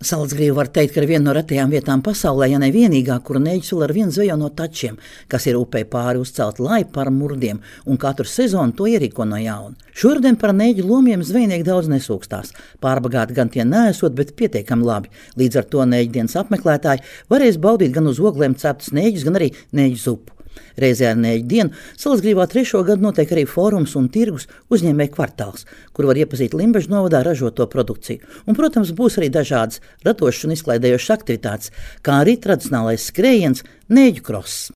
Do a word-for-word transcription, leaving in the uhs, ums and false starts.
Salacgrīva var teikt, ka ir viena no retajām vietām pasaulē, ja ne vienīgā, kur neģis vēl ar vienu zvejo no tačiem, kas ir upei pāri uzcelt laipu par murdiem, un katru sezonu to ierīko no jauna. Šodien par neģu lomiem zvejnieki daudz nesūkstās. Pārbagāti gan tie neesot, bet pietiekami labi. Līdz ar to neģu dienas apmeklētāji varēs baudīt gan uz ogliem ceptus neģus, gan arī neģu zupu. Reizē ar neģu dienu Salacgrīvā trešo gadu notiek arī fórums un tirgus uzņēmēju kvartāls, kur var iepazīt Limbažu novadā ražoto produkciju. Un, protams, būs arī dažādas radošas un izklaidējošas aktivitātes, kā arī tradicionālais skrējiens neģu kross.